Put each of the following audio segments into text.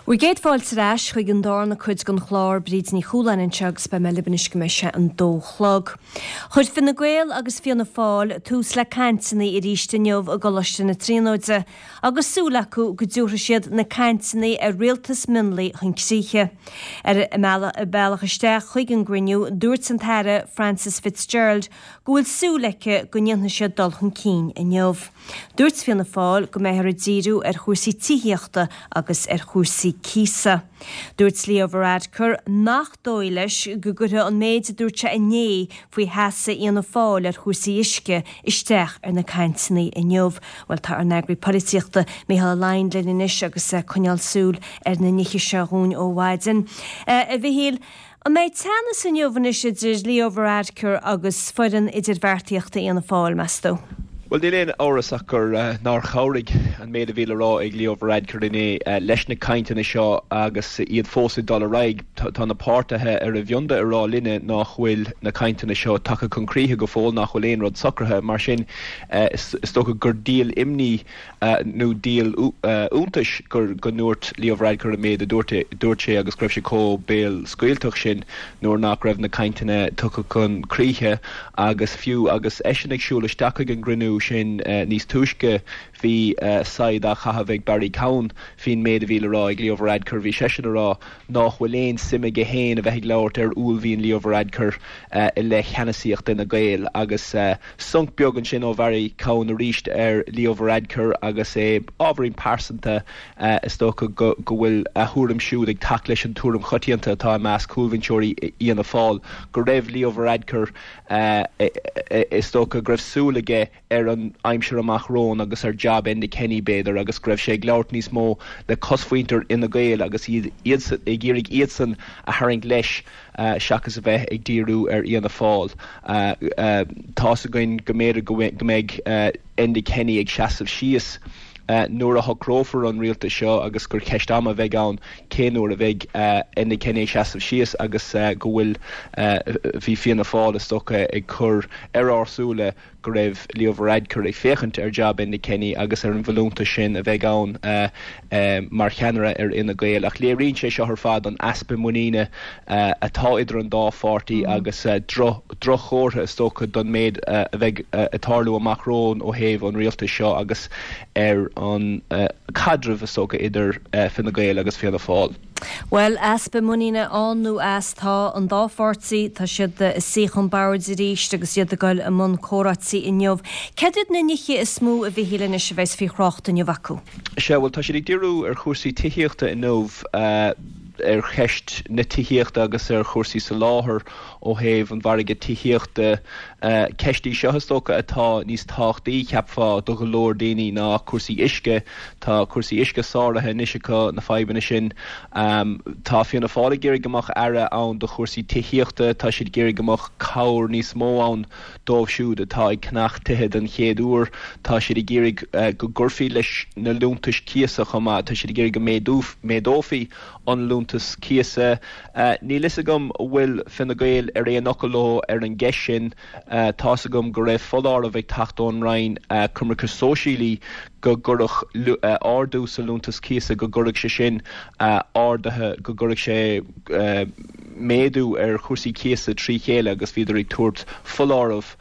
Bhur gcéad fáilte ar ais chuig an darna cuid den chlár, Bríd Ní Chualáin anseo agus beidh mé libh anois go mbeidh sé an dó chlog. Chuir Fine Gael agus Fianna Fáil tús le cainteanna arís inniu i gColáiste na Tríonóide agus súil acu go dtabharfaidh siad na cainteanna ar rialtas mionlaigh chun críche. Ar a bealach isteach chuig an gcruinniú, dúirt an tAire Frances Fitzgerald go bhfuil súil aici go ndéanfaidh siad dul chun cinn inniu. Dúirt Fianna Fáil go mbeifear ag díriú ar chúrsaí tithíochta agus ar chúrsaí cíosa. Dúirt Leo Varadkar nach dóigh leis go gcuirfidh an méid a dúirt sé inné faoi sheasamh Fhianna Fáil ar chúrsaí uisce isteach ar na cainteanna inniu. Bhuel, tá ár n-eagraí polaitíochta, Mícheál Ó Laighin linn anois agus é ag coinneáil súil ar na nithe seo dhúinn ó mhaidin. A Mhichíl, An mbeidh teannas inniu anois idir Leo Varadkar agus foireann idirbheartaíochta Fhianna Fáil, meas tú? Bhuel, níl aon amhras ach gur nár chabhraigh an méid a bhí le rá ag Leo Varadkar inné leis na cainteanna seo agus iad fós ag dul ar aghaidh. Tá na páirtithe ar a bhionda ag rá linne nach bhfuil na cainteanna seo tagtha chun críche go fóill, nach bhfuil aon rud socraithe. Mar sin, is dócha gur díol imní nó díol iontais gur go ndúirt Leo Varadkar an méid a dúirt dúirt sé agus go raibh sé chomh béalscaoilteach sin nuair nach raibh na cainteanna tugtha chun críche agus fiú agus eisean ag siúl isteach chuig an gcruinniú sin níos túisce bhí saighead á chaitheamh ag Barry Cowen faoin méid a bhí le rá ag Leo Varadkar. Bhí seisean ag rá nách bhfuil aon suim aige féin a bheith ag labhairt ar uaillmhian Leo Varadkar i leith cheannasaíocht Fhine Gael agus Sonc beag ansin ó Bharry Cowen arís ar Leo Varadkar agus é ábhairín pearsanta. Is dócha go bhfuil a thuairim siúd ag teacht leis an tuairim choitianta atá i measc chúlbhinseoirí Fhianna Fáil go raibh Leo Varadkar, is dócha, go raibh súil aige ar an aimsir amach romhainn agus ar jab Enda Kenny, b'fhéidir, agus go raibh sé ag labhairt níos mó le cosmhuintir Fhine Gael agus iad ag iarraidh iadsan a tharraingt leis. seachas a bheith ag díriú ar Fhianna Fáil. Tá's againn go mb'fhéidir go mbeidh Enda Kenny ag seasamh síos nuair a shocrófar an rialtas seo agus gur ceist ama a bheidh ann cén uair a bheidh Enda Kenny ag seasamh síos agus go bhfuil, bhí Fianna Fáil is dócha ag cur ar ár súile go raibh Leo Varadkar ag féachaint ar jab Enda Kenny agus ar an bhfolúntas sin a bheidh ann mar cheannaire ar Fhine Gael. Ach léiríonn sé seo ar fad an easpa muiníne atá idir an dá pháirtí agus droch-chomhartha is dócha don méid a bheidh ag tarlú amach romhainn ó thaobh an rialtais seo agus ar an caidreamh is dócha idir Fine Gael agus Fianna Fáil. Bhuel, easpa muiníne ann nó as, tá an dá pháirtí, tá siad ag suí chun boird arís agus iad ag dul i mbun comhráití inniu. Céard iad na nithe is mó, a Mhichíl, anois a bheas faoi thrácht inniu acu? Sea, bhuel, tá siad ag díriú ar chúrsaí tithíochta inniu, ar cheist na tithíochta agus ar chúrsaí soláthair ó thaobh an mhargaidh tithíochta. Ceist í seo, is dócha, atá níos tábhachtaí, cheapfá, do go leor daoine ná cúrsaí uisce. Tá cúrsaí uisce sáraithe anois acu, na fadhbanna sin. Tá Fianna Fáil ag iarraidh go mbeadh aire ann do chúrsaí tithíochta. Tá siad ag iarraidh go mbeadh cabhair níos mó ann dóibh siúd atá ag ceannach tithe den chéad uair. Tá siad ag iarraidh go gcuirfí leis na liúntais cíosa chomh maith. Tá siad ag iarraidh go méadófaí an liúntas cíosa. Níl fhios agam an bhfuil Fine Gael ar aon fhocal leo ar an gceist sin. Tá's agam go raibh foláireamh ag teacht ón Roinn Coimirce Sóisialaí go gcuirfeadh ardú sa liúntas cíosa, go gcuirfeadh sé sin arduithe, go gcuirfeadh sé méadú ar chúrsaí cíosa trí chéile agus bhíodar ag tabhairt foláireamh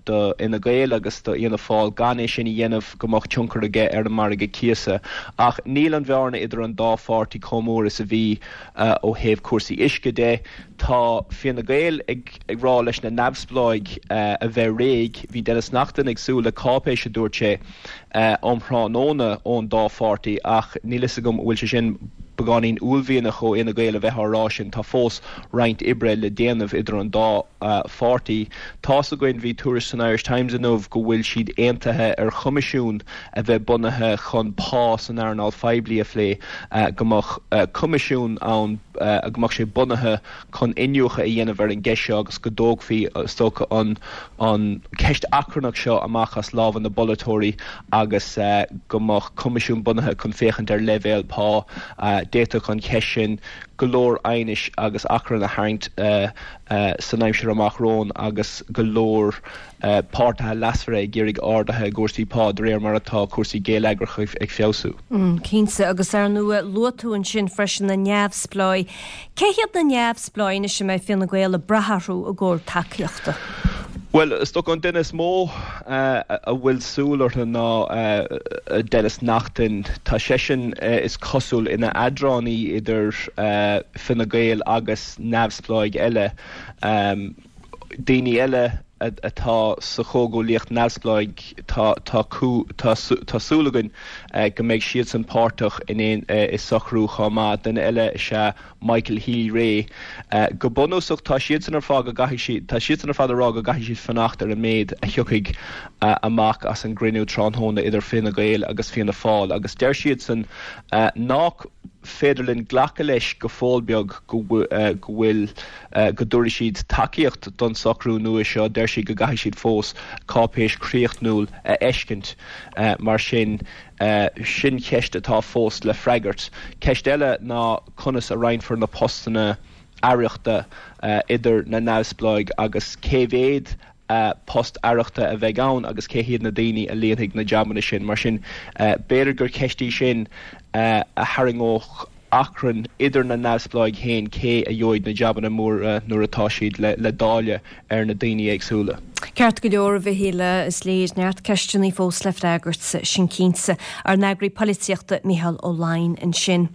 do Fhine Gael agus do Fhianna Fáil gan é sin a dhéanamh go mbeadh tionchar aige ar an margadh cíosa. Ach níl an bhearna idir an dá pháirtí chomh mór is a bhí ó thaobh cúrsaí uisce de. Tá Fine Gael ag rá leis na neamhspleáigh a bheith réidh. Bhí Denis Naughten ag súil le cáipéis, a dúirt sé, um thráthnóna ón dá pháirtí ach níl fhios agam an bhfuil sé sin beagáinín uaillmhianach ó Fhine Gael a bheith á rá sin. Tá fós roinnt oibre le déanamh idir an dá pháirtí. Tá's againn, bhí tuairisc san Irish Times inniu go bhfuil siad aontaithe ar choimisiún a bheith bunaithe chun pá san earnáil phoiblí a phlé, go mbeadh coimisiún ann, go mbeadh sé bunaithe chun iniúchadh a dhéanamh ar an gceist seo agus go dtógfaí, is dócha, an an cheist achrannach seo amach as lámha na bpolaiteoirí agus go mbeadh coimisiún bunaithe chun féachaint ar leibhéal pá. D'fhéadfadh an cheist sin go leor aighnis agus achrann a tharraingt san aimsir amach romhainn agus go leor páirtithe leasmhara ag iarraidh arduithe i gcúrsaí pá de réir mar atá cúrsaí geilleagracha ag feabhsú. Cinnte, agus ar ndóigh luaigh tú ansin freisin na neamhspleáigh. Cé hiad na neamhspleáigh anois a mbeidh Fine Gael ag brath orthu i gcomhair tacaíochta? Bhuel, is dócha an duine is mó a bhfuil súil orthu ná Denis Naughten. Tá seisean, is cosúil, ina eadránaí idir Fine Gael agus neamhspleáigh eile. Daoine eile atá sa chomhghuaillíocht neamhspleáigh, tá tá súil againn go mbeidh siadsan páirteach in aon i socrú chomh maith. Duine eile is ea Michael Healy-Rae. Go bunúsach tá siadsan ar fáth go gcaithfidh siad tá siadsan ar fad ag rá go gcaithfidh siad fanacht ar an méid a thiocfaidh amach as an gcruinniú tráthnóna idir Fine Gael agus Fianna Fáil agus deir siadsan nach féidir linn glacadh leis go fóill beag go bhfuil go dtabharfaidh siad tacaíocht don socrú nua seo. Deir siad go gcaithfidh siad fós cáipéis chríochnúil a fheiscint. Mar sin, sin ceist atá fós le freagairt. Ceist eile ná conas a roinnfear na postanna aireachta idir na neamhspleáigh agus cé mhéad post aireachta a bheidh ann agus cé hiad na daoine a líonfaidh na jabanna sin. Mar sin, b'fhéidir gur ceist í sin a tharraingeodh achrann idir na neamhspleáigh féin cé a gheobhaidh na jabanna móra nuair atá siad le dáileadh ar na daoine éagsúla. Ceart go leor, a Mhichíl, is léir neart ceisteanna fós le freagairt, sin cinnte. Ár n-eagraí polaitíochta, Micheál Ó Laighin ansin.